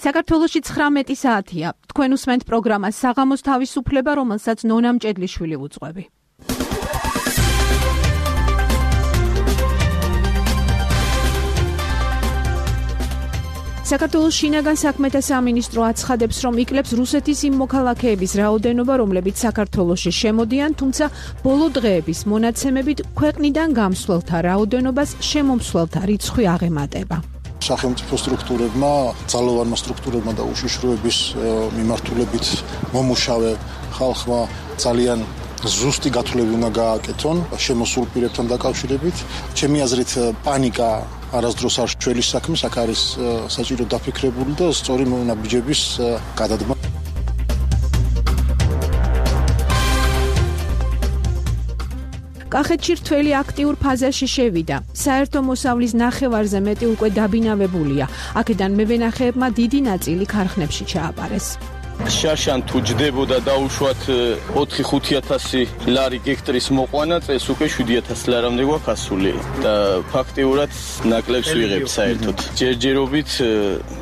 საქართველოში 19 საათია. თქვენ უსმენთ პროგრამას საღამოს თავისუფლება, რომელსაც ნონა მჭედლიშვილი უძღვები. საქართველოს შინაგან საქმეთა სამინისტრო აცხადებს, რომ იკლებს რუსეთის იმ მოქალაქეების რაოდენობა, რომლებიც საქართველოში შემოდიან, თუმცა ბოლო დღეების მონაცემებით ქვეყნიდან გამსვლელთა რაოდენობას შემომსვლელთა რიცხვი აღემატება. სახელმწიფო სტრუქტურებმა, ძალოვანმა სტრუქტურებმა და უშიშროების მიმართულებით მომუშავე ხალხმა ძალიან ზუსტი გათვლები უნდა გააკეთონ შემოსულ პირებთან დაკავშირებით. ჩემი აზრით პანიკა არასდროს არ ჩვეულის საქმეს, აქ არის საჭირო დაფიქრებული და სწორი მონაბიჯების გადადგმა. კახეთში რთველი აქტიურ ფაზაში შევიდა. საერთო მოსავლის ნახევარზე მეტი უკვე დაბინავებულია. აქედან მევენახეებმა დიდი ნაწილი ქარხნებში ჩააბარეს. შარშან თუ ჯდებოდა დაუშვათ 4-5,000 ლარი გექტრის მოყვანა, წელს უკვე 7,000 ლარამდე გვაქვს ასული და ფაქტიურად ნაკლებს ვიღებთ საერთოდ. ჯერჯერობით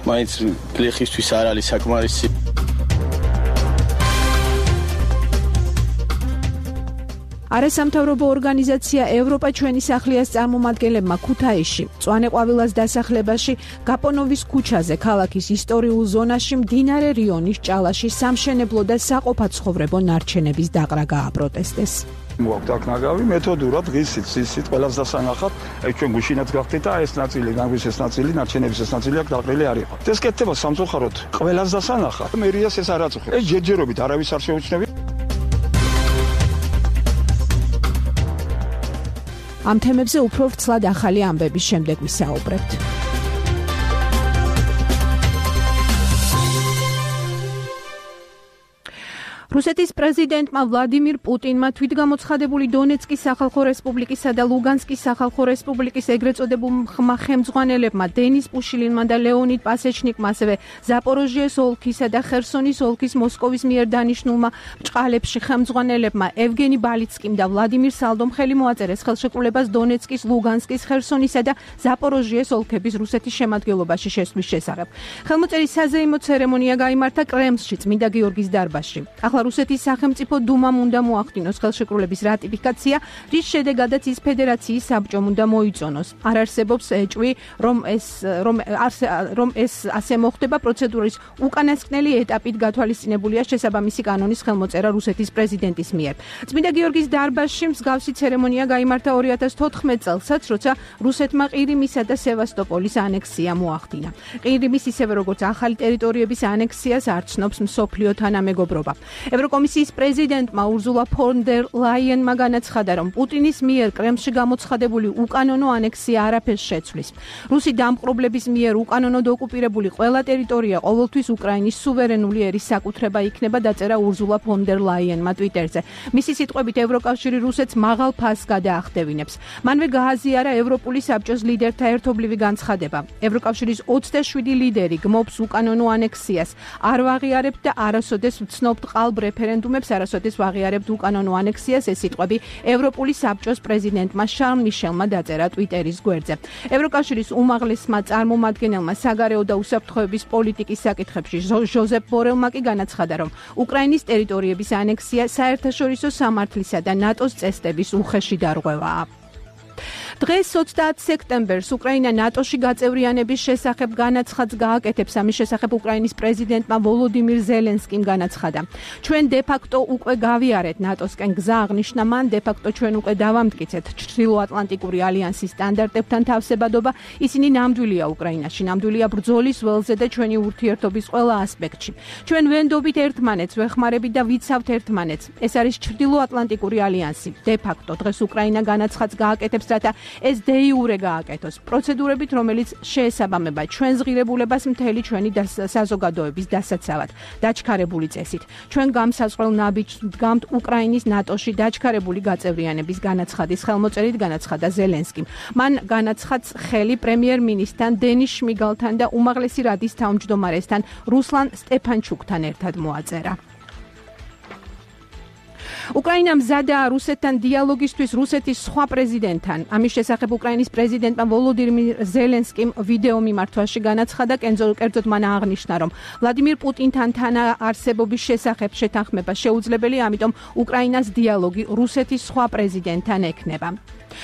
მაინც გლეხისთვის არ არის საკმარისი. არასამთავრობო ორგანიზაცია ევროპა ჩვენი სახლიას წარმომადგენლებმა ქუთაისში, მწვანე ყვავილას დასახლებაში, გაპონოვის ქუჩაზე, ქალაქის ისტორიულ ზონაში, მდინარე რიონის ჭალაში სამშენებლო და საყოფაცხოვრებო ნარჩენების დაყრა გააპროტესტეს. მოაქვთ აქ ნაგავი მეთოდურად ღირსით, სისით ყველას დასანახად, ჩვენ გუშინაც გავხდით და ეს ნაწილი, ნაგვის ეს ნაწილი, ნარჩენების ეს ნაწილი აქ დაყრილი არ იყო. ეს კეთდება სამწუხაროდ ყველას დასანახად. მერიას ეს არ აწუხებს. ეს ჯერჯერობით არავის არ შეუჩნევია. ამ თემებზე უფრო ვრცლად ახალი ამბების შემდეგ ვისაუბრებთ. რუსეთის პრეზიდენტმა ვლადიმირ პუტინმა თვითგამოცხადებული დონეცკის სახალხო რესპუბლიკისა და ლუგანსკის სახალხო რესპუბლიკის ეგრეთ წოდებულ ხელმძღვანელებმა დენის პუშილინმა და ლეონიდ პასეჩნიკმა, ასევე ზაპოროჟიეს ოლქისა და ხერსონის ოლქის მოსკოვის მიერ დანიშნულმა ბრჭყალებში ხელმძღვანელებმა ევგენი ბალიცკიმ და ვლადიმირ სალდომ ხელი მოაწერეს ხელშეკრულებას დონეცკის, ლუგანსკის, ხერსონისა და ზაპოროჟიეს ოლქების რუსეთის შემადგენლობაში შესვლის შესახებ. ხელმოწერის საზეიმო ცერემონია გაიმართა კრემლში, წმინდა გიორგის დარბაზში. რუსეთის სახელმწიფო დუმამ უნდა მოახდინოს ხელშეკრულების რატიფიკაცია, რის შედეგადაც ის ფედერაციის საბჭომ უნდა მოიწონოს. არ არსებობს ეჭვი, რომ ეს ასე მოხდება. პროცედურის უკანასკნელი ეტაპით გათვალისწინებულია შესაბამისი კანონის ხელმოწერა რუსეთის პრეზიდენტის მიერ. წმინდა გიორგის დარბაზში მსგავსი ცერემონია გაიმართა 2014 წელსაც, როცა რუსეთმა ყირიმისა და სევასტოპოლის ანექსია მოახდინა. ყირიმის ისევე როგორც ახალი ტერიტორიების ანექსიას არ ცნობს მსოფლიო თანამეგობრობა. ევროკომისიის პრეზიდენტმა ურზულა ფონ დერ ლაიენმა განაცხადა, რომ პუტინის მიერ კრემლში გამოცხადებული უკანონო ანექსია არაფერს შეცვლის. რუსი დამპყრობლების მიერ უკანონოდ ოკუპირებული ყველა ტერიტორია ყოველთვის უკრაინის სუვერენული ერის საკუთრება იქნება, დაწერა ურზულა ფონ დერ ლაიენმა ტვიტერზე. მისი სიტყვებით ევროკავშირი რუსეთს მაღალ ფასს გადაახდევინებს. მანვე გააზიარა ევროპული საბჭოს ლიდერთა ერთობლივი განცხადება. ევროკავშირის 27 ლიდერი გმობს უკანონო ანექსიას, არ ვაღიარებთ და არასოდეს ვცნობთ ყალბ რეფერენდუმებს, არასოდეს ვაღიარებთ უკანონო ანექსიას, ეს სიტყვები ევროპული საბჭოს პრეზიდენტმა შარლ მიშელმა დაწერა ტვიტერის გვერდზე. ევროკავშირის უმაღლესმა წარმომადგენელმა საგარეო და უსაფრთხოების პოლიტიკის საკითხებში ჟოზეფ ბორელმა კი განაცხადა, რომ უკრაინის ტერიტორიების ანექსია საერთაშორისო სამართლისა და ნატოს წესდების უხეში დარღვევაა. დღეს 20 სექტემბერს უკრაინა ნატოში გაწევრიანების შესახებ განაცხადს გააკეთებს. ამის შესახებ უკრაინის პრეზიდენტმა ვოლოდიმირ ზელენსკიმ განაცხადა. ჩვენ დე-ფაქტო უკვე გავიარეთ ნატოსკენ გზა, აღნიშნა მან, დე-ფაქტო ჩვენ უკვე დავამტკიცეთ ჩრდილოატლანტიკური ალიანსის სტანდარტებთან თავსებადობა. ისინი ნამდვილია უკრაინაში, ნამდვილია ბრძოლის ველზე და ჩვენი ურთიერთობის ყველა ასპექტში. ჩვენ ვენდობით ერთმანეთს, ვეხმარებით და ვიცავთ ერთმანეთს. ეს არის ჩრდილოატლანტიკური ალიანსი. დე-ფაქტო დღეს უკრაინა განაცხადს გააკეთებს, რათა ეს დე-იურე გააკეთოს პროცედურებით, რომელიც შეესაბამება ჩვენს ღირებულებას მთელი ჩვენი საზოგადოების დასაცავად, დაჩქარებული წესით. ჩვენ გამსაზღვრელ ნაბიჯს ვდგამთ უკრაინის ნატოში დაჩქარებული გაწევრიანების განაცხადის ხელმოწერით, განაცხადა ზელენსკიმ. მან განაცხადს ხელი პრემიერ-მინისტრთან დენის შმიგალთან და უმაღლესი რადის თავმჯდომარესთან რუსლან სტეფანჩუკთან ერთად მოაწერა. უკრაინა მზადაა რუსეთთან დიალოგისთვის რუსეთის სხვა პრეზიდენტთან. ამის შესახებ უკრაინის პრეზიდენტმა ვოლოდიმირ ზელენსკიმ ვიდეო მიმართვაში განაცხადა, კერძოდ მან აღნიშნა, რომ ვლადიმირ პუტინთან თანაარსებობის შესახებ შეთანხმება შეუძლებელია, ამიტომ უკრაინას დიალოგი რუსეთის სხვა პრეზიდენტთან ექნება.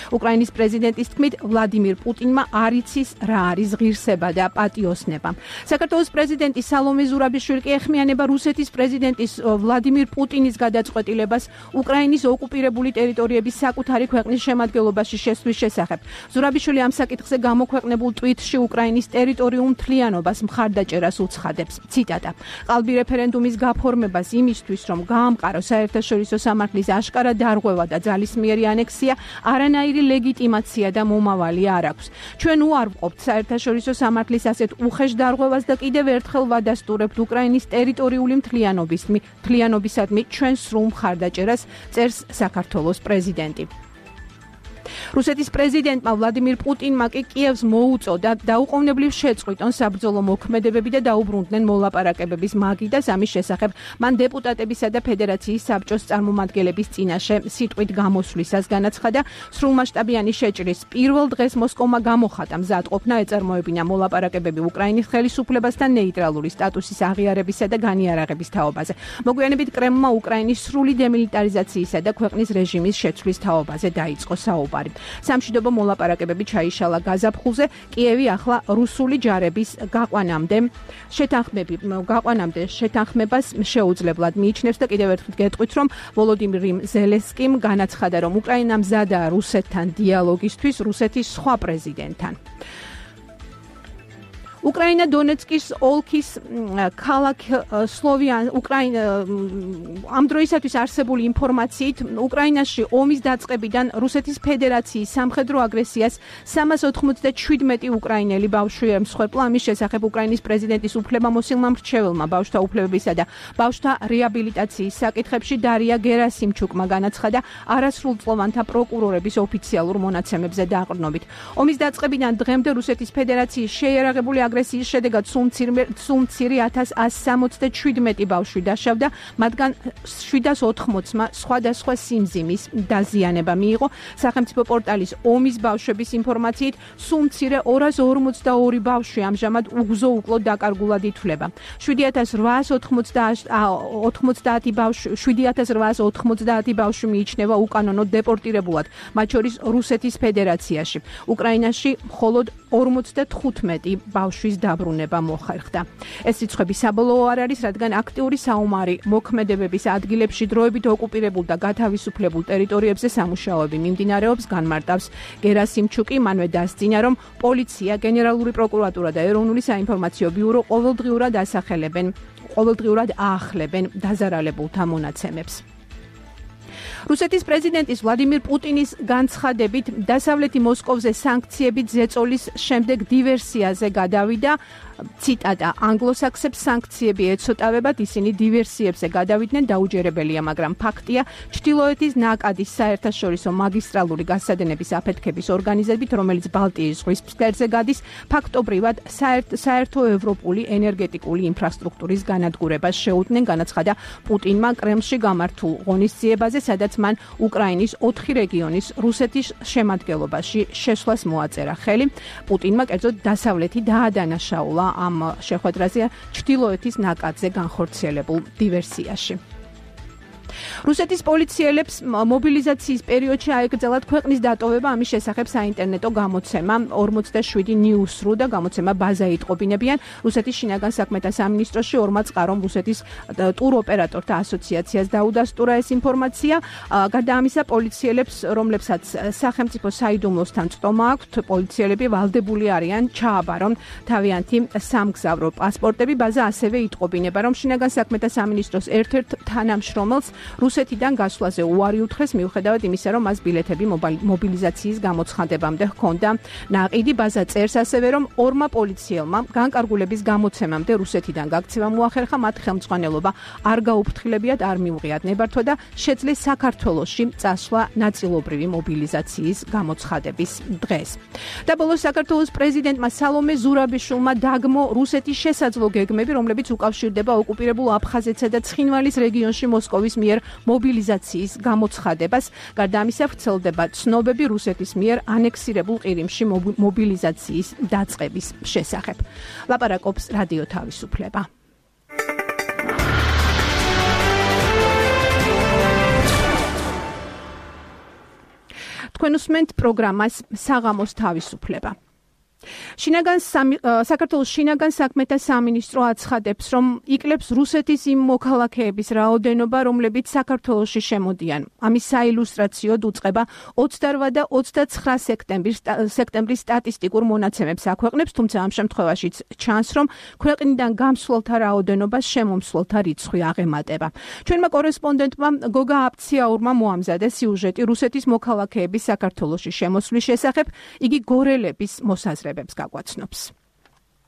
უკრაინის პრეზიდენტის თქმით, ვლადიმირ პუტინმა არ იცის რა არის ღირსება და პატიოსნება. საქართველოს პრეზიდენტი სალომე ზურაბიშვილი კი ეხმიანება რუსეთის პრეზიდენტის ვლადიმირ პუტინის გადაწყვეტილებას უკრაინის ოკუპირებული ტერიტორიების საკუთარი ქვეყნის შემადგენლობაში შესვლის შესახებ. ზურაბიშვილი ამ საკითხზე გამოქვეყნებულ ტვიტში უკრაინის ტერიტორიულ მთლიანობას მხარდაჭერას უცხადებს. ციტატა: "ყალბი რეფერენდუმის გაფორმებას იმისთვის, რომ გაამყაროს საერთაშორისო სამართლის აშკარა დარღვევა და ძალისმიერი ანექსია, არანაირი ლეგიტიმაცია და მომავალი არ აქვს. ჩვენ უარ ვყოფთ საერთაშორისო სამართლის ასეთ უხეშ დარღვევას და კიდევ ერთხელ ვადასტურებთ უკრაინის ტერიტორიული მთლიანობისადმი ჩვენ სრულ მხარდაჭერას", წერს საქართველოს პრეზიდენტი. რუსეთის პრეზიდენტმა ვლადიმირ პუტინმა კი კიევს მოუწოდა დაუყოვნებლივ შეწყვიტონ საბრძოლო მოქმედებები და დაუბრუნდნენ მოლაპარაკებების მაგიდას. ამის შესახებ მან დეპუტატებისა და ფედერაციის საბჭოს წარმომადგენლების წინაშე სიტყვით გამოსვლისას განაცხადა. სრულმასშტაბიანი შეჭრის პირველ დღეს მოსკოვმა გამოხატა მზადყოფნა ეწარმოებინა მოლაპარაკებები უკრაინის ხელისუფლებასთან ნეიტრალური სტატუსის აღიარებისა და განიარაღების თაობაზე. მოგვიანებით კრემლმა უკრაინის სრული დემილიტარიზაციისა და ქვეყნის რეჟიმის შეცვლის თაობაზე დაიწყო საუბარი. სამშვიდობო მოლაპარაკებები ჩაიშალა გაზაფხულზე. კიევი ახლა რუსული ჯარების გაყვანამდე შეთანხმებას შეუძლებლად მიიჩნევს და კიდევ ერთხელ გეტყვით, რომ ვოლოდიმირ ზელენსკიმ განაცხადა, რომ უკრაინა მზადაა რუსეთთან დიალოგისთვის რუსეთის სხვა პრეზიდენტთან. უკრაინა დონეცკის ოლქის ქალაქ სლოვიან ამ დროისათვის არსებული ინფორმაციით უკრაინაში ომის დაწყებიდან რუსეთის ფედერაციის სამხედრო აგრესიას 397 უკრაინელი ბავშვი ემსხვერპლა. ამის შესახებ უკრაინის პრეზიდენტის უფლებამოსილმა მრჩეველმა ბავშვთა უფლებებისა და ბავშვთა რეაბილიტაციის საკითხებში დარია გერასიმჩუკმა განაცხადა არასრულწლოვანთა პროკურორების ოფიციალურ მონაცემებზე დაყრდნობით. ომის დაწყებიდან დღემდე რუსეთის ფედერაციის შეიარაღებული აგრესიის შედეგად სულ მცირე 1167 ბავშვი დაშავდა, მათგან 780-მა სხვადასხვა სიმძიმის დაზიანება მიიღო. სახელმწიფო პორტალის ომის ბავშვების ინფორმაციით, სულ მცირე 242 ბავშვი ამჟამად უგზო-უკლოდ დაკარგულად ითვლება. 7890 ბავშვი მიიჩნევა უკანონოდ დეპორტირებულად, მათ შორის რუსეთის ფედერაციაში. უკრაინაში მხოლოდ 55 ბავშვის დაბრუნება მოხერხდა. ეს რიცხვები საბოლოო არ არის, რადგან აქტიური საომარი მოქმედებების ადგილებში დროებით ოკუპირებულ და გათავისუფლებულ ტერიტორიებზე სამუშაოები მიმდინარეობს, განმარტავს გერასიმჩუკი. მანვე დასძინა, რომ პოლიცია, გენერალური პროკურატურა და ეროვნული საინფორმაციო ბიურო ყოველდღიურად აახლებენ დაზარალებულთა მონაცემებს. რუსეთის პრეზიდენტის ვლადიმირ პუტინის განცხადებით დასავლეთი მოსკოვზე სანქციებით ზეწოლის შემდეგ დივერსიაზე გადავიდა. ციტატა: "ანგლოსაქსებს სანქციები ეცოტავებათ, ისინი დივერსიებზე გადავიდნენ, დაუჯერებელია, მაგრამ ფაქტია, ჩრდილოეთის ნაკადის საერთაშორისო მაგისტრალური გასადენების აფეთქების ორგანიზებით, რომელიც ბალტიის ზღვის ფსკერზე გადის, ფაქტობრივად საერთო ევროპული ენერგეტიკული ინფრასტრუქტურის განადგურებას შეუდგნენ", განაცხადა პუტინმა კრემლში გამართულ ღონისძიებაზე, სადაც მან უკრაინის 4 რეგიონის რუსეთის შემადგენლობაში შესვლას მოაწერა ხელი. პუტინმა კერძოდ დასავლეთი დაადანაშაულა ამ შეხვედრაზე ჩრდილოეთის ნაკადზე განხორციელებულ დივერსიაში. რუსეთის პოლიციელებს მობილიზაციის პერიოდში აეკრძალათ ქვეყნის დატოვება. ამის შესახებ საინტერნეტო გამოცემა 47 News.ru და გამოცემა ბაზა იტყობინებიან. რუსეთის შინაგან საქმეთა სამინისტროში ორმაც ყარომ რუსეთის ტუროპერატორთა ასოციაციას დაუდასტურა ეს ინფორმაცია. გარდა ამისა, პოლიციელებს, რომლებსაც სახელმწიფო საიდუმლოსთან წტომა აქვთ, პოლიციელები ვალდებული არიან ჩააბარონ თავიანთი სამგზავრო პასპორტები. ბაზა ასევე იტყობინება, რომ შინაგან საქმეთა სამინისტროს ერთ-ერთ თანამშრომელს რუსეთიდან გასვლაზე უარი უთხრეს, მიუხედავად იმისა, რომ მას ბილეთები მობილიზაციის გამოცხადებამდე ჰქონდა ნაყიდი. ბაზა წერს ასევე, რომ ორმა პოლიციელმა განკარგულების გამოცემამდე რუსეთიდან გაქცევა მოახერხა, მათ ხელმძღვანელობა არ გაუფრთხილებიათ, არ მიუღიათ ნებართვა და შეძლეს საქართველოში წასვლა ნაწილობრივი მობილიზაციის გამოცხადების დღეს. და ბოლოს საქართველოს პრეზიდენტმა სალომე ზურაბიშვილმა დაგმო რუსეთის შესაძლო გეგმები, რომლებიც უკავშირდება ოკუპირებულ აფხაზეთსა და ცხინვალის რეგიონში მოსკოვის მიერ მიერ მობილიზაციის გამოცხადებას. გარდა ამისა, ვრცელდება ცნობები რუსეთის მიერ ანექსირებულ ყირიმში მობილიზაციის დაწყების შესახებ. ლაპარაკობს რადიო თავისუფლება. თქვენ უსმენთ პროგრამას საღამოს თავისუფლება. საქართველოს შინაგან საქმეთა სამინისტრო აცხადებს, რომ იკლებს რუსეთის იმ მოქალაქეების რაოდენობა, რომლებიც საქართველოში შემოდიან. ამის საილუსტრაციოდ უწყება 28 და 29 სექტემბრის სტატისტიკურ მონაცემებს აქვეყნებს, თუმცა ამ შემთხვევაშიც ჩანს, რომ ქვეყნიდან გამსვლელთა რაოდენობას შემომსვლელთა რიცხვი აღემატება. ჩვენმა კორესპონდენტმა გოგა აფციაურმა მოამზადეს სიუჟეტი რუსეთის მოქალაქეების საქართველოში შემოსვლის შესახებ, იგი გორელების მოსაზრებებს გაგვაცნობს.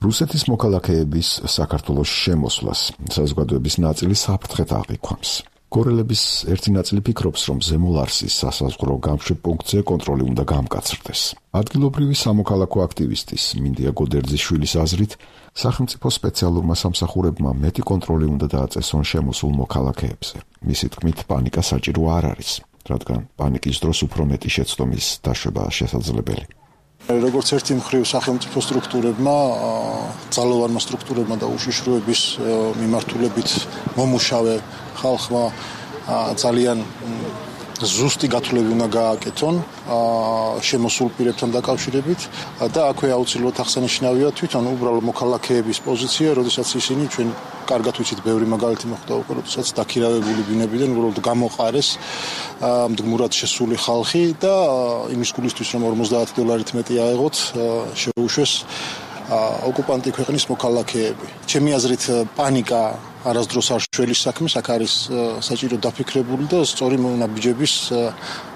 რუსეთის მოქალაქეების საქართველოში შემოსვლას საზოგადოების ნაწილი საფრთხეთ აღიქვამს. გორელების ერთი ნაწილი ფიქრობს, რომ ზემო ლარსის სასაზღვრო გამშვებ პუნქტზე კონტროლი უნდა გამკაცრდეს. ადგილობრივი სამოქალაქო აქტივისტის მინდია გოდერძიშვილის აზრით, სახელმწიფო სპეციალურმა სამსახურებმა მეტი კონტროლი უნდა დააწესონ შემოსულ მოქალაქეებზე. მისი თქმით, პანიკა საჭირო არ არის, რადგან პანიკის დროს უფრო მეტი შეცდომის დაშვება შესაძლებელი. როგორც ერთი მხრივ სახელმწიფო სტრუქტურებმა, ძალოვანმა სტრუქტურებმა და უშიშროების მიმართულებით მომუშავე ხალხმა ძალიან ზუსტი გათვლები უნდა გააკეთონ შემოსულ პირებთან დაკავშირებით და აქვე აუცილებლად აღსანიშნავია თვითონ უბრალო მოქალაქეების პოზიცია, როდესაც ისინი ჩვენ კარგად ვიცით, ბევრი მაგალითი მოხდა უკვე, როდესაც დაქირავებული ბინებიდან უბრალოდ გამოყარეს მდგმურად შესული ხალხი და იმის გულისთვის, რომ $50 მეტი აეღოთ, შეუშვეს ოკუპანტი ქვეყნის მოქალაქეები. ჩემი აზრით, პანიკა არასდროს არ შველის საქმეს, აქ არის საჭირო დაფიქრებული და სწორი მონაბიჯების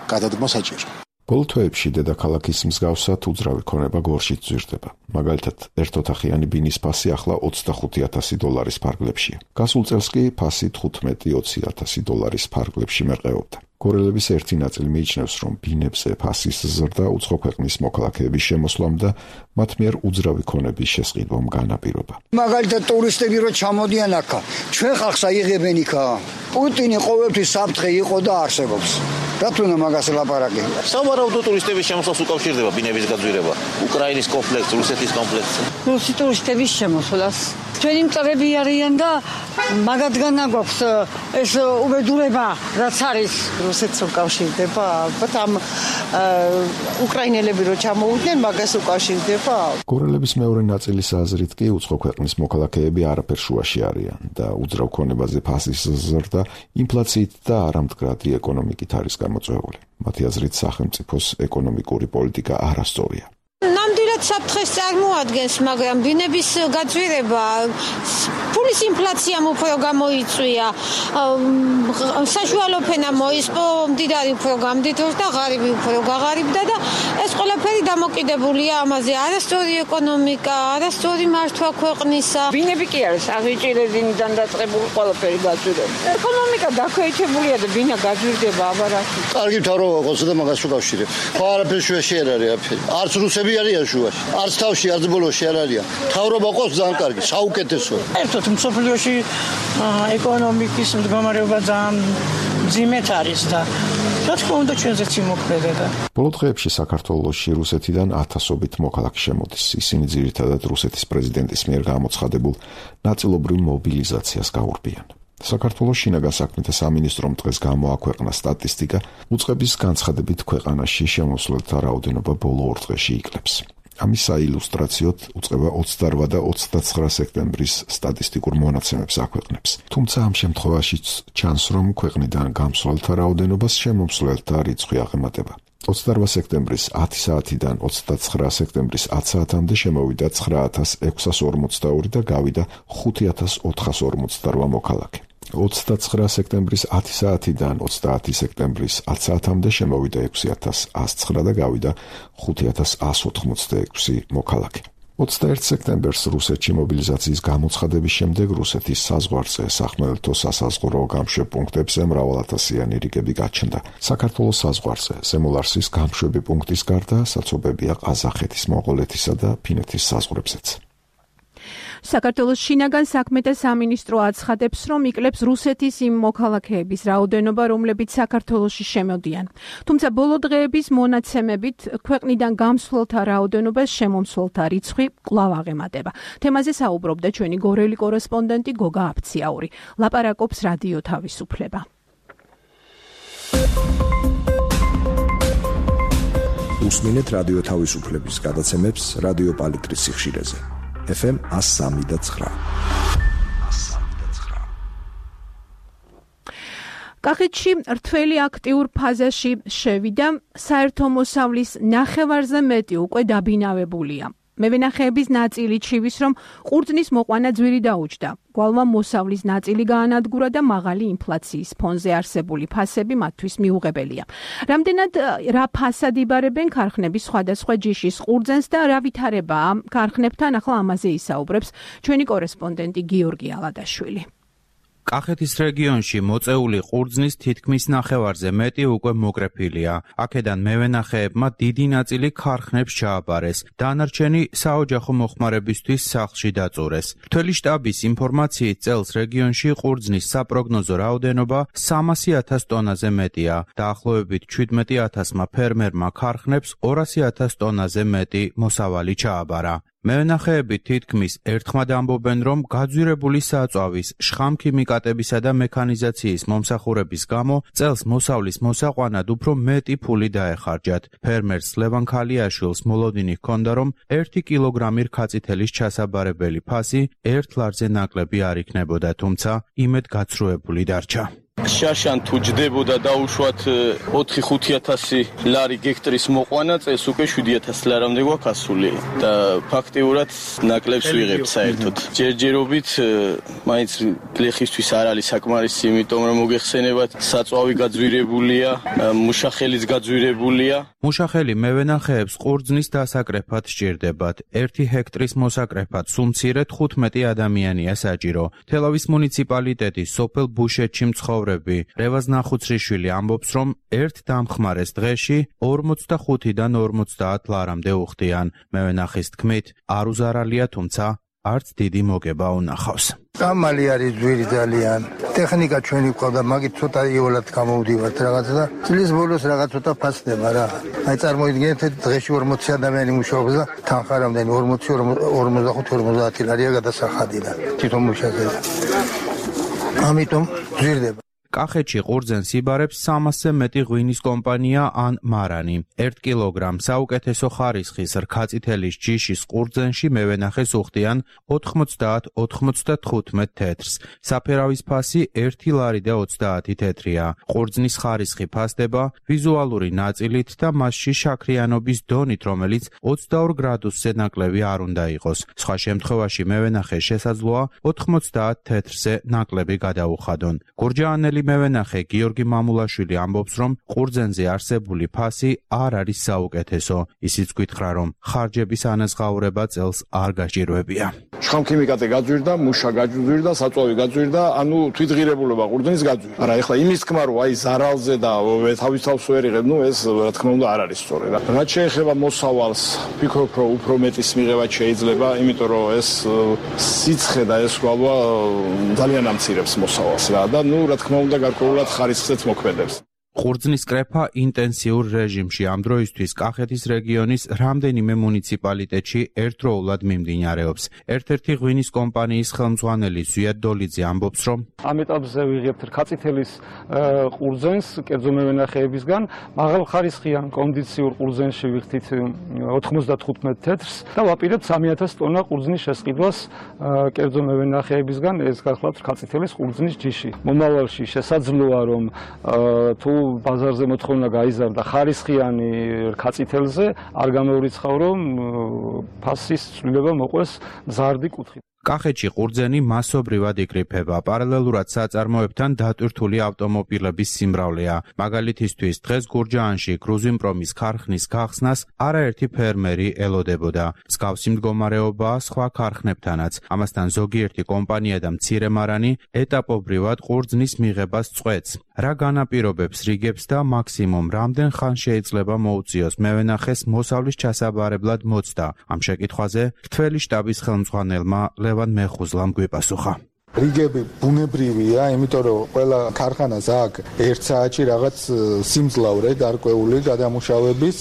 გადადგმა საჭირო. ბოლო თვეებში დედაქალაქის მსგავსად უძრავი ქონება გორშიც ზრდება. მაგალითად, ერთოთახიანი ბინის ფასი ახლა $25,000 ფარგლებშია. გასულ წელს კი ფასი $15,000-20,000 ფარგლებში მერყეობდა. გორელების ერთი ნაწილი მიიჩნევს, რომ ბინებზე ფასის ზრდა უცხო ქვეყნის მოქალაქეების შემოსვლამ და მათ მიერ უძრავი ქონების შესყიდვამ განაპირობა. მაგალითად, ტურისტები რო ჩამოდიან აქა, ჩვენ ხალხს აიღებენ იქა. პუტინი ყოველთვის საფრთხე იყო და არსებობს. რატომ მაგას ლაპარაკი? სავარაუდო ტურისტების შემოსვლას უკავშირდება ბინების გაძვირება, უკრაინის კონფლიქტს, რუსეთის კონფლიქტს. რუსი ტურისტების შემოსვლას. ჩვენი მწრები არიან და მაგათგან აგვაქვს ეს უბედურება, რაც არის რუსეთს უკავშირდება. ალბათ ამ უკრაინელები რო ჩამოვიდნენ, მაგას უკავშირდება. გორელების მეორე ნაწილის აზრით კი უცხო ქვეყნის მოქალაქეები არაფერ შუაში არიან და უძრავ ქონებაზე ფასის ზრდა ინფლაციით და არამდგრადი ეკონომიკით არის გამოწვეული. მათი აზრით, სახელმწიფოს ეკონომიკური პოლიტიკა არასწორია. ნამდვილად საფრთხეს წარმოადგენს, მაგრამ ბინების გაძვირება, ფულის ინფლაციამ უფრო გამოიწვია, საშუალო ფენა მოისპო, მდიდარი უფრო გამდიდროს და ღარიბი უფრო გაღარიბდა და ეს ყველაფერი დამოკიდებულია ამაზე. არასწორი ეკონომიკა, არასწორი მართვა ქვეყნისა. ბინები კი არის აღიჭირებინიდან დაწყებული ყველაფერი გაძვირება. ეკონომიკა დაქვეითებულია და ბინა გაძვირდება აბარაკი. კარგი მთავრობა ყოს და მაგას უკავშირებ. ხო არაფერი შუაში არ არის აფერი. არც რუსები არიან შუაში. არც თავში, არც ბოლოში არ არიან. მთავრობა ყოს ძალიან კარგი, საუკეთესო. ერთად მსოფლიოში ეკონომიკის მდგომარეობა ძალიან მძიმედ არის და რა თქმა უნდა ჩვენზეც იმოქმედება. ბოლო დღეებში საქართველოში რუსეთიდან ათასობით მოქალაქე შემოდის. ისინი ძირითადად რუსეთის პრეზიდენტის მიერ გამოცხადებულ ნაწილობრივ მობილიზაციას გაურბიან. საქართველოს შინაგან საქმეთა სამინისტრომ დღეს გამოაქვეყნა სტატისტიკა, უწყების განცხადებით ქვეყანაში შემოსვლელთა რაოდენობა ბოლო 2 დღეში იკლებს. ამის საილუსტრაციოდ უწყება 28 და 29 სექტემბრის სტატისტიკურ მონაცემებს აქვეყნებს. თუმცა ამ შემთხვევაშიც ჩანს, რომ ქვეყნიდან გამსვლელთა რაოდენობას შემომსვლელთა რიცხვი აღემატება. 28 სექტემბრის 10 საათიდან 29 სექტემბრის 10 საათამდე შემოვიდა 9642 და გავიდა 5448 მოქალაქე. 29 სექტემბრის 10 საათიდან 30 სექტემბრის 10 საათამდე შემოვიდა 6109 და გავიდა 5186 მოქალაქე. 21 სექტემბერს რუსეთში მობილიზაციის გამოცხადების შემდეგ რუსეთის საზღვარზე სახმელეთო სასაზღვრო გამშვებ პუნქტებზე მრავალათასიანი რიგები გაჩნდა. საქართველოს საზღვარზე ზემო ლარსის გამშვები პუნქტის გარდა საცობებია ყაზახეთის, მონღოლეთისა და ფინეთის საზღვრებზეც. საქართველოს შინაგან საქმეთა სამინისტრო აცხადებს, რომ იკლებს რუსეთის იმ მოქალაქეების რაოდენობა, რომლებიც საქართველოში შემოდიან. თუმცა ბოლო დღეების მონაცემებით ქვეყნიდან გამსვლელთა რაოდენობას შემომსვლელთა რიცხვი კვლავ აღემატება. თემაზე საუბრობდა ჩვენი გორელი კორესპონდენტი გოგა აფციაური. ლაპარაკობს რადიო თავისუფლება. უსმინეთ რადიო თავისუფლების გადაცემებს რადიო პალიტრის სიხშირეზე. FM 103.9. კახეთში რთველი აქტიურ ფაზაში შევიდა, საერთო მოსავლის ნახევარზე მეტი უკვე დაბინავებულია. მევენახეების ნაწილი ჩივის, რომ ყურძნის მოყვანა ძვირი დაუჯდა. გვალვა მოსავლის ნაწილი გაანადგურა და მაღალი ინფლაციის ფონზე არსებული ფასები მათთვის მიუღებელია. რამდენად რა ფასად იბარებენ ქარხნების სხვადასხვა ჯიშის ყურძენს და რა ვითარებაა ქარხნებთან, ახლა ამაზე ისაუბრებს ჩვენი კორესპონდენტი გიორგი ალადაშვილი. კახეთის რეგიონში მოწეული ყურძნის თითქმის ნახევარზე მეტი უკვე მოკრეფილია. აქედან მევენახეებმა დიდი ნაწილი ქარხნებს ჩააბარეს. დანარჩენი საოჯახო მოხმარებისთვის სახლში დაწურეს. რთველი შტაბის ინფორმაციით წელს რეგიონში ყურძნის საპროგნოზო რაოდენობა 300,000 ტონაზე მეტია. დაახლოებით 17,000-მა ფერმერმა ქარხნებს 200,000 ტონაზე მეტი მოსავალი ჩააბარა. მევენახეები თითქმის ერთხმად ამბობენ, რომ გაძვირებული საწვავის, შხამქიმიკატებისა და მექანიზაციის მომსახურების გამო წელს მოსავლის მოსაყვანად უფრო მეტი ფული დაეხარჯათ. ფერმერს ლევან ქალიაშვილს მოლოდინი ჰქონდა, რომ 1 კილოგრამი რქაწითელის ჩასაბარებელი ფასი 1 ლარზე ნაკლები არ იქნებოდა, თუმცა იმედ გაცრუებული დარჩა. შაშან თუ ჯდებოდა დაუშვათ 4-5,000 ლარი გექტრის მოყვანა, წელს უკვე 7,000 ლარამდე გვაქვს ასული და ფაქტიურად ნაკლებს ვიღებთ საერთოდ. ჯერჯერობით მაინც გლეხისთვის არ არის საკმარისი, იმიტომ რომ მოგეხსენებათ, საწვავი გაძვირებულია, მუშახელიც გაძვირებულია. მუშახელი მევენახეებს ყურძნის დასაკრეფად სჭირდებათ. 1 ჰექტრის მოსაკრეფად სულ მცირე 15 ადამიანია საჭირო. თელავის მუნიციპალიტეტის სოფელ ბუშეთში მცხოვრები რევაზ ნახუცრიშვილი ამბობს, რომ ერთ დამხმარეს დღეში 45-დან 50 ლარამდე უხდიან. მევენახის თქმით, არ უზარალია, თუმცა არც დიდი მოგება უნახავს. ამალი არის ძვირი ძალიან. ტექნიკა ჩვენი ყავდა, მაგით ცოტა იოლად გამოვდივართ რაღაცა და წლის ბოლოს რაღაც ცოტა ფასდება რა. აი წარმოიდგინეთ, დღეში 40 ადამიანი მუშაობს და თანხა რამდენი 45-50 ლარია გადასახადი და თვითონ მუშაობს. ამიტომ ძვირდება. კახეთში ყურძენს იბარებს 300-ზე მეტი ღვინის კომპანია ან მარანი. 1 კილოგრამ საუკეთესო ხარისხის რქაწითელის ჯიშის ყურძენში მევენახეს უხდიან 90-95 თეთრს. საფერავის ფასი 1 ლარი და 30 თეთრია. ყურძნის ხარისხი ფასდება ვიზუალური ნაწილით და მასში შაქრიანობის დონით, რომელიც 22 გრადუსზე ნაკლები არ უნდა იყოს. სხვა შემთხვევაში მევენახეს შესაძლოა 90 თეთრზე ნაკლები გადაუხადონ. გურჯაანელი მევენახე გიორგი მამულაშვილი ამბობს, რომ ყურძენზე არსებული ფასი არ არის საუკეთესო. ისიც გითხრა, რომ ხარჯების ანაზღაურება წელს არ გაჭირვებია. შხამქიმიკატი გაძვირდა, მუშა გაძვირდა, საწვავი გაძვირდა, ანუ თვითღირებულობა ყურძნის გაძვირდა. არა, ეხლა იმის თქმა, რომ აი ზარალზე და თავის თავს ვერ იღებ, ეს რა თქმა უნდა არ არის სწორი რა. რაც შეეხება მოსავალს, ვფიქრობ, რომ უფრო მეტის მიღება შეიძლება, იმიტომ რომ ეს სიცხე და ეს გვალვა ძალიან ამცირებს მოსავალს რა და რა თქმა უნდა გარკვეულად ხარისხზეც მოქმედებს. ყურძნის კრეფა ინტენსიურ რეჟიმში ამ დროისთვის კახეთის რეგიონის რამდენიმე მუნიციპალიტეტში ერთდროულად მიმდინარეობს. ერთ-ერთი ღვინის კომპანიის ხელმძღვანელი ზვიად დოლიძე ამბობს, რომ ამ ეტაპზე ვიღებთ რქაწითელის ყურძენს კერძო მევენახეებისგან, მაღალხარისხიან კონდიციურ ყურძენში ვიხდით 95 თეთრს და ვაპირებთ 3,000 ტონა ყურძნის შესყიდვას კერძო მევენახეებისგან, ეს გახლავთ რქაწითელის ყურძნის ჯიში. მომავალში შესაძლოა, რომ თუ ბაზარზე მოთხოვნა გაიზარდა ხარისხიანი რქაწითელზე, არ გამოვრიცხავ, რომ ფასის ცვლილება მოყვეს მზარდი კუთხით. კახეთში ყურძენი მასობრივად იკრიფება. პარალელურად საწარმოებთან დატვირთული ავტომობილების სიმრავლეა. მაგალითისთვის დღეს გურჯაანში გრუზიმპრომის ქარხნის გახსნას არაერთი ფერმერი ელოდებოდა. მსგავსი მდგომარეობაა სხვა ქარხნებთანაც. ამასთან ზოგიერთი კომპანია და მცირე მარანი ეტაპობრივად ყურძნის მიღებას წყვეტს. რა განაპირობებს რიგებს და მაქსიმუმ რამდენ ხანს შეიძლება მოუწიოს მევენახეს მოსავლის ჩასაბარებლად მოცდა? ამ შეკითხვაზე რთველი შტაბის ხელმძღვანელმა ლევან მეხუზლამ გვიპასუხა. რიგები ბუნებრივია, იმიტომ რომ ყველა ქარხანას აქვს 1 საათში რაღაც სიმძლავრე გარკვეული გადამუშავების,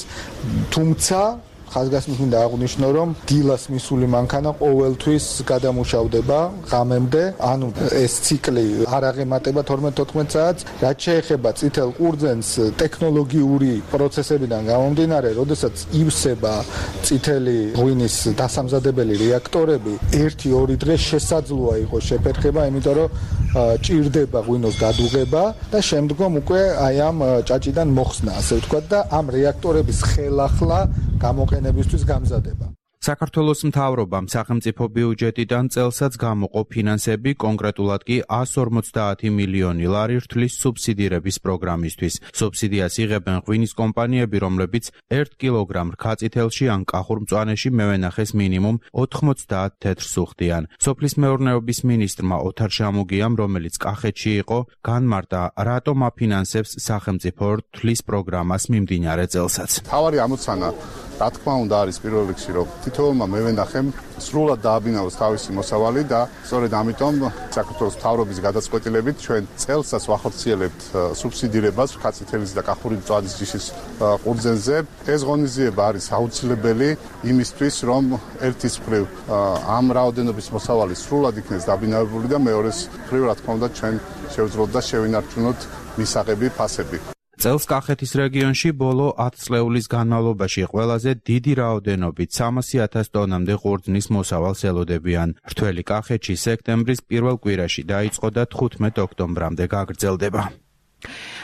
თუმცა ხაზგასმით მინდა აღვნიშნო, რომ დილას მისული მანქანა ყოველთვის გადამუშავდება ღამემდე, ანუ ეს ციკლი არ აღემატება 12-14 საათს. რაც შეეხება წითელ ყურძენს, ტექნოლოგიური პროცესებიდან გამომდინარე, როდესაც ივსება წითელი ღვინის დასამზადებელი რეაქტორები, 1-2 დღე შესაძლოა იყოს შეფერხება, იმიტომ რომ ჭირდება ღვინოს გადუღება და შემდგომ უკვე აი ამ ჭაჭიდან მოხსნა, ასე ვთქვათ, და ამ რეაქტორების ხელახლა გამოყენებისთვის გამზადება. საქართველოს მთავრობამ სახელმწიფო ბიუჯეტიდან წელსაც გამოყო ფინანსები, კონკრეტულად კი 150 მილიონი ლარი რთლის სუბსიდირების პროგრამისთვის. სუბსიდიას იღებენ ღვინის კომპანიები, რომლებიც 1 კილოგრამ რქაწითელში ან კახურ მწვანეში მევენახეს მინიმუმ 90 თეთრს უხდიან. სოფლის მეურნეობის მინისტრმა ოთარ შამუგიამ, რომელიც კახეთში იყო, განმარტა, რატომ აფინანსებს სახელმწიფო რთლის პროგრამას მიმდინარე წელსაც. თავარი ამოცანა რა თქმა უნდა არის პირველ რიგში, რომ თითოეულმა მევენახემ სრულად დააბინავოს თავისი მოსავალი და სწორედ ამიტომ საქართველოს მთავრობის გადაწყვეტილებით ჩვენ წელსაც ვახორციელებთ სუბსიდირებას რქაწითელის და კახური მწვანის ჯიშის ყურძენზე. ეს ღონისძიება არის აუცილებელი იმისთვის, რომ ერთის მხრივ ამ რაოდენობის მოსავალი სრულად იქნეს დაბინავებული და მეორეს მხრივ რა თქმა უნდა ჩვენ შევძლებოთ და შევინარჩუნოთ მისაღები ფასები. წელს კახეთის რეგიონში ბოლო 10 წლეულის განმავლობაში ყველაზე დიდი რაოდენობით 300,000 ტონამდე ყურძნის მოსავალს ელოდებიან. რთველი კახეთში სექტემბრის პირველ კვირაში დაიწყო და 15 ოქტომბრამდე გაგრძელდება.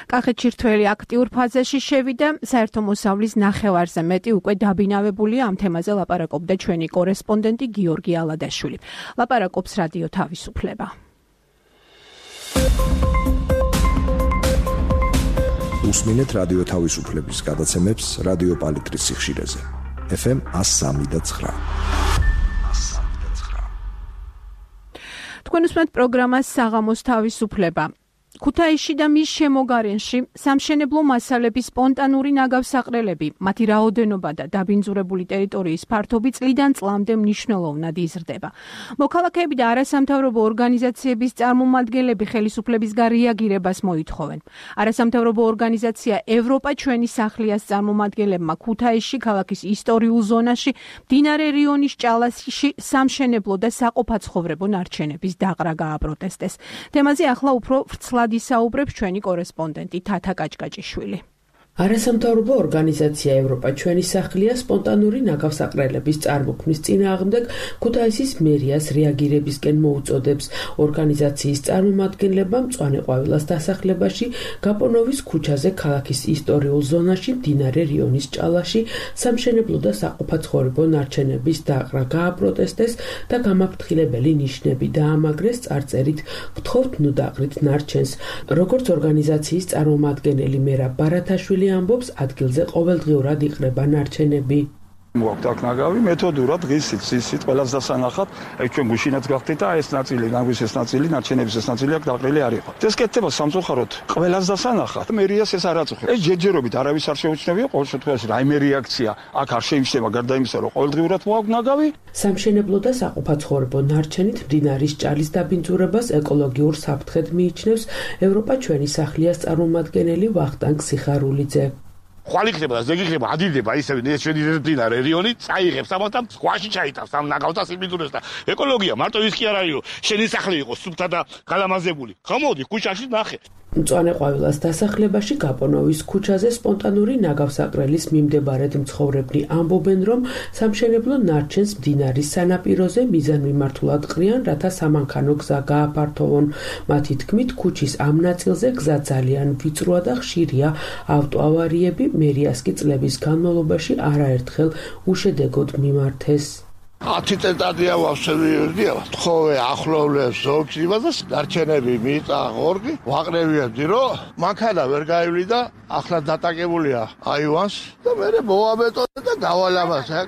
კახეთში რთველი აქტიურ ფაზაში შევიდა, საერთო მოსავლის ნახევარზე მეტი უკვე დაბინავებულია. ამ თემაზე ლაპარაკობდა ჩვენი კორესპონდენტი გიორგი ალადაშვილი. ლაპარაკობს რადიო თავისუფლება. უსმინეთ რადიო თავისუფლების გადაცემებს რადიო პალიტრის სიხშირეზე. FM 103.9. თქვენ უსმენთ პროგრამას საღამოს თავისუფლება. ქუთაისში და მის შემოგარენში სამშენებლო მასალების სპონტანური ნაგავსაყრელები, მათი რაოდენობა და დაბინძურებული ტერიტორიის ფართობი წლიდან წლამდე მნიშვნელოვნად იზრდება. მოქალაქეები და არასამთავრობო ორგანიზაციების წარმომადგენლები ხელისუფლებისგან რეაგირებას მოითხოვენ. არასამთავრობო ორგანიზაცია ევროპა ჩვენი სახლიას წარმომადგენლებმა ქუთაისში ქალაქის ისტორიულ ზონაში მდინარე რიონის ჭალაში სამშენებლო და საყოფაცხოვრებო ნარჩენების დაყრა გააპროტესტეს. თემაზე ახლა უფრო ვრცლად ისაუბრებს ჩვენი კორესპონდენტი თათა კაჭკაჭიშვილი. არასამთავრობო ორგანიზაცია ევროპა ჩვენი სახლია სპონტანური ნაგავსაყრელების წარმოქმნის წინააღმდეგ ქუთაისის მერიას რეაგირებისკენ მოუწოდებს. ორგანიზაციის წარმომადგენლებმა მწვანეყვავილას დასახლებაში გაპონოვის ქუჩაზე ქალაქის ისტორიულ ზონაში მდინარე რიონის ჭალაში სამშენებლო და საყოფაცხოვრებო ნარჩენების დაყრა გააპროტესტეს და გამაფრთხილებელი ნიშნები დაამაგრეს წარწერით გთხოვთ ნუ დაყრით ნარჩენს. როგორც ორგანიზაციის წარმომადგენელი მერაბ ბარათაშვილი ამბობს, ადგილზე ყოველდღიურად იყრება ნარჩენები. მოაქვთ აქ ნაგავი მეთოდურად ღისით, სისით, ყველას დასანახად, ჩვენ გუშინაც გახდით და ეს ნაწილი, ნაგვის ეს ნაწილი, ნარჩენების ეს ნაწილი აქ დაყრილი არ იყო. ეს კეთდება სამწუხაროდ ყველას დასანახად. მერიას ეს არ აწუხებს. ეს ჯერჯერობით არავის არ შეუჩნევია, ყოველ შემთხვევაში რაიმე რეაქცია აქ არ შეიმჩნევა გარდა იმისა, რომ ყოველდღიურად მოაქვთ ნაგავი. სამშენებლო და საყოფაცხოვრებო ნარჩენით მდინარის ჭალის დაბინძურებას ეკოლოგიურ საფრთხედ მიიჩნევს ევროპა ჩვენი სახლიას წარმომადგენელი ვახტანგ სიხარულიძე. ხვალ იქნება და ზეგი იქნება, ადიდება ისევ ჩვენი მდინარე რიონი, წაიღებს ამათამ სხვაში ჩაიტავს ამ ნაგავსა სიმბიდურეს და ეკოლოგია მარტო ის კი არ არის, შენი სახლი იყო სუფთა და გალამაზებული. ხამოდი ქუჩაში ნახე. მწვანეყვავილას დასახლებაში გაპონოვის ქუჩაზე სპონტანური ნაგავსაყრელის მიმდებარედ მცხოვრებნი ამბობენ, რომ სამშენებლო ნარჩენს მდინარის სანაპიროზე მიზანმიმართულად ყრიან, რათა სამანქანო გზა გააფართოვონ. მათი თქმით, ქუჩის ამ ნაწილზე გზა ძალიან ვიწროა და ხშირია ავტოავარიები, მერიას კი წლების განმავლობაში არაერთხელ უშედეგოდ მიმართეს. 10 წელიწადია ვავსებია, თხოვე ახლოვლებს ზოგჯერა და დარჩენები მიწა ორგი, ვაყრევიებდი, რომ მანქანა ვერ გაივლი და ახლა დატაკებულია აივანს და მე მოვაბეტონე და გავალამაზე.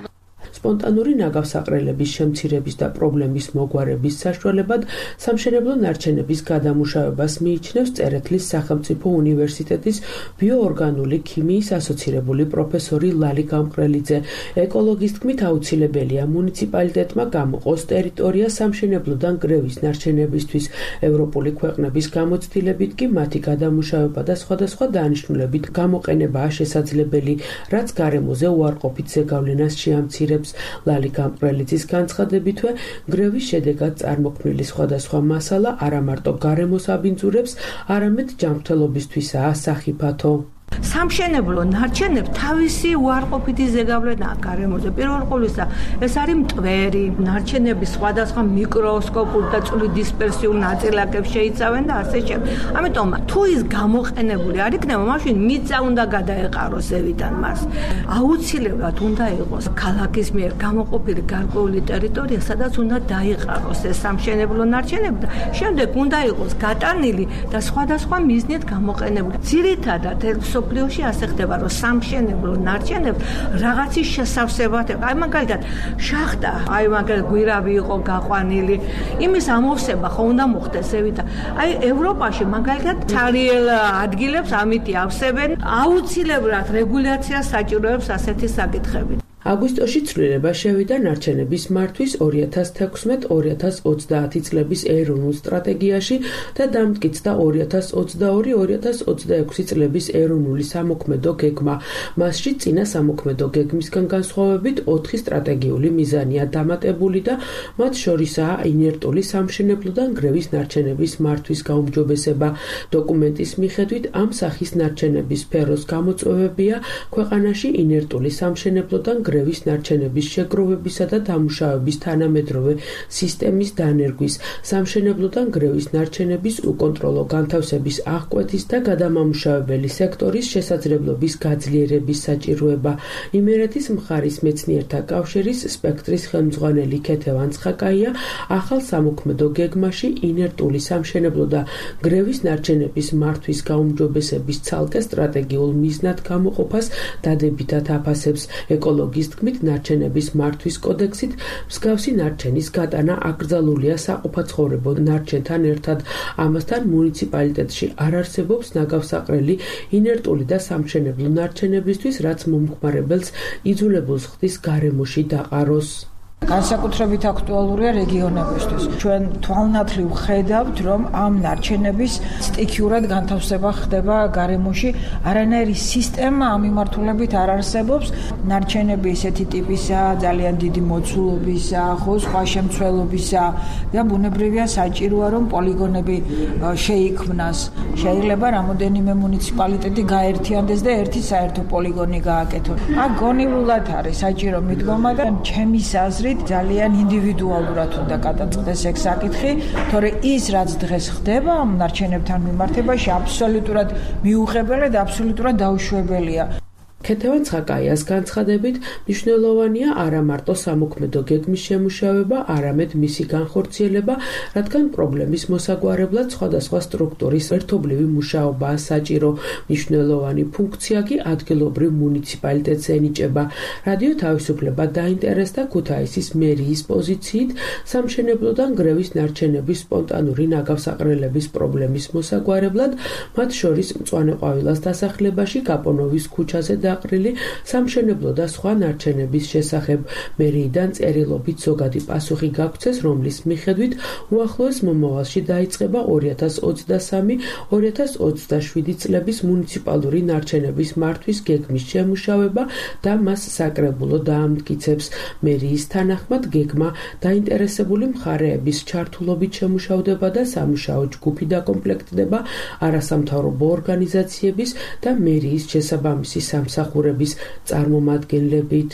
სპონტანური ნაგავსაყრელების შემცირების და პრობლემის მოგვარების საშუალებად სამშენებლო ნარჩენების გადამუშავებას მიიჩნევს წერეთლის სახელმწიფო უნივერსიტეტის ბიოორგანული ქიმიის ასოცირებული პროფესორი ლალი გამყრელიძე. ეკოლოგის თქმით აუცილებელია მუნიციპალიტეტმა გამოყოს ტერიტორია სამშენებლოდან გრევის ნარჩენებისთვის. ევროპული ქვეყნების გამოცდილებით კი მათი გადამუშავება და სხვადასხვა დანიშნულებით გამოყენებაა შესაძლებელი, რაც გარემოზე უარყოფით ზეგავლენას შეამცირებს. ლალი გამყრელიძის განცხადებითვე, გრევის შედეგად წარმოქმნილი სხვადასხვა მასალა არა მარტო გარემოს აბინძურებს, არამედ ჯანმრთელობისთვისაა სახიფათო. სამშენებლო ნარჩენებს თავისი უარყოფითი ზეგავლენაა გარემოზე. პირველ ყოვლისა, ეს არის მტვერი, ნარჩენების სხვადასხვა მიკროსკოპულ და წვრილი დისპერსიულ ნაწილაკებს შეიცავენ და ასე შემდეგ. ამიტომ თუ ის გამოყენებული არ იქნება, მაშინ მიწა უნდა გადაეყაროს ზევიდან მას. აუცილებლად უნდა იყოს ქალაქის მიერ გამოყოფილი გარკვეული ტერიტორია, სადაც უნდა დაიყაროს ეს სამშენებლო ნარჩენები და შემდეგ უნდა იყოს გატანილი და სხვადასხვა მიზნით გამოყენებული. ძირითადად სოფლიოში ასე ხდება, რომ სამშენებლო ნარჩენებს რაღაცის შესავსებად, აი მაგალითად შახტა, აი მაგალითად გვირავი იყო გაყვანილი, იმის ამოვსება ხო უნდა მოხდეს ზევით. აი ევროპაში მაგალითად ცარიელ ადგილებს ამით ავსებენ, აუცილებლად რეგულაციას საჭიროებს ასეთი საკითხები. აგვისტოში ცვლილება შევიდა ნარჩენების მართვის 2016-2030 წლების ეროვნულ სტრატეგიაში და დამტკიცდა 2022-2026 წლების ეროვნული სამოქმედო გეგმა. მასში წინა სამოქმედო გეგმისგან განსხვავებით 4 სტრატეგიული მიზანია დამატებული და მათ შორისაა ინერტული სამშენებლოდან გრევის ნარჩენების მართვის გაუმჯობესება. დოკუმენტის მიხედვით ამ სახის ნარჩენების სფეროს გამოწვევებია ქვეყანაში ინერტული სამშენებლოდან გრევის ნარჩენების შეგროვებისა და დამუშავების თანამედროვე სისტემის დანერგვის, სამშენებლოდან გრევის ნარჩენების უკონტროლო განთავსების აღკვეთის და გადამამუშავებელი სექტორის შესაძლებლობის გაძლიერების საჭიროება. იმერეთის მხარის მეცნიერთა კავშირის სპექტრის ხელმძღვანელი ქეთევან ცხაკაია ახალ სამოქმედო გეგმაში ინერტული სამშენებლო და გრევის ნარჩენების მართვის გაუმჯობესების ცალკე სტრატეგიულ მიზნად გამოყოფას დადებითად აფასებს. ეკოლოგის თქმით, ნარჩენების მართვის კოდექსით მსგავსი ნარჩენის გატანა აკრძალულია საყოფაცხოვრებო ნარჩენთან ერთად. ამასთან მუნიციპალიტეტში არ არსებობს ნაგავსაყრელი ინერტული და სამშენებლო ნარჩენებისთვის, რაც მომხმარებელს იძულებულს ხდის გარემოში დაყაროს. განსაკუთრებით აქტუალურია რეგიონებისთვის. ჩვენ თვალნათლივ ხედავთ, რომ ამ ნარჩენების სტიქიურად განთავსება ხდება გარემოში. არანაირი სისტემა ამ მიმართულებით არ არსებობს. ნარჩენები ესეთი ტიპისაა, ძალიან დიდი მოცულობისაა, ხო, სხვა შემცველობისაა და ბუნებრივია საჭიროა, რომ პოლიგონები შეიქმნას. შეიძლება რამოდენიმე მუნიციპალიტეტი გაერთიანდეს და ერთი საერთო პოლიგონი გააკეთონ. აქ გონივრულად არის საჭირო მიდგომა და ჩემის აზრით ძალიან ინდივიდუალურად უნდა გადაწყდეს ეგ საკითხი, თორე ის რაც დღეს ხდება ამ ნარჩენებთან მიმართებაში აბსოლუტურად მიუღებელი და აბსოლუტურად დაუშვებელია. ქეთევან ცხაკაიას განცხადებით, მნიშვნელოვანია არა მარტო სამოქმედო გეგმის შემუშავება, არამედ მისი განხორციელება, რადგან პრობლემის მოსაგვარებლად სხვადასხვა სტრუქტურის ერთობლივი მუშაობაა საჭირო. მნიშვნელოვანი ფუნქცია კი ადგილობრივ მუნიციპალიტეტს ენიჭება. რადიო თავისუფლება დაინტერესდა ქუთაისის მერიის პოზიციით სამშენებლოდან გრევის ნარჩენების სპონტანური ნაგავსაყრელების პრობლემის მოსაგვარებლად, მათ შორის მწვანე ყვავილას დასახლებაში გაპონოვის ქუჩაზე დაყრილი სამშენებლო და სხვა ნარჩენების შესახებ. მერიიდან წერილობით ზოგადი პასუხი გაგვცეს, რომლის მიხედვით უახლოეს მომავალში დაიწყება 2023-2027 წლების მუნიციპალური ნარჩენების მართვის გეგმის შემუშავება და მას საკრებულო დაამტკიცებს. მერიის თანახმად გეგმა დაინტერესებული მხარეების ჩართულობით შემუშავდება და სამუშაო ჯგუფი დაკომპლექტდება არასამთავრობო ორგანიზაციების და მერიის შესაბამისი სამსახურების წარმომადგენლებით.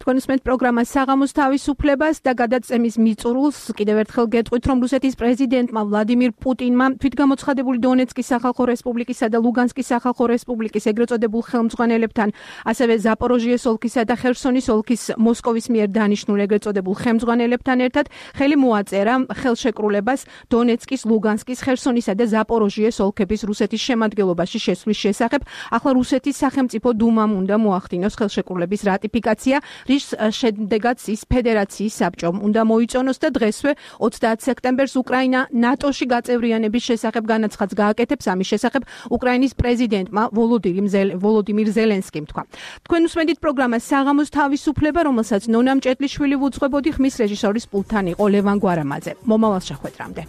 თქვენ უსმენთ პროგრამას საღამოს თავისუფლებას და გადაცემის მიწურულს. კიდევ ერთხელ გეტყვით, რომ რუსეთის პრეზიდენტმა ვლადიმირ პუტინმა თვითგამოცხადებული დონეცკის სახალხო რესპუბლიკისა და ლუგანსკის სახალხო რესპუბლიკის ეგრეთ წოდებულ ხელმძღვანელებთან, ასევე ზაპოროჟიეს ოლქისა და ხერსონის ოლქის მოსკოვის მიერ დანიშნულ ეგრეთ წოდებულ ხელმძღვანელებთან ერთად ხელი მოაწერა ხელშეკრულებას დონეცკის, ლუგანსკის, ხერსონისა და ზაპოროჟიეს ოლქების რუსეთის შემადგენლობაში შესვლის შესახებ. ახლა რუსეთის სახელმწიფო დუმამ უნდა მოახდინოს ხელშეკრულების რატიფიკაცია, რის შემდეგაც ის ფედერაციის საბჭომ უნდა მოიწონოს და დღესვე 30 სექტემბერს უკრაინა ნატოში გაწევრიანების შესახებ განაცხადს გააკეთებს. ამის შესახებ უკრაინის პრეზიდენტმა ვოლოდიმირ ზელენსკიმ თქვა. თქვენ უსმენთ პროგრამას საღამოს თავისუფლება, რომელსაც ნონა მჭედლიშვილი ვუძღვებოდი, ხმის რეჟისორის პულტთან იყო ლევან გვარამაძე. მომავალ შეხვედრამდე.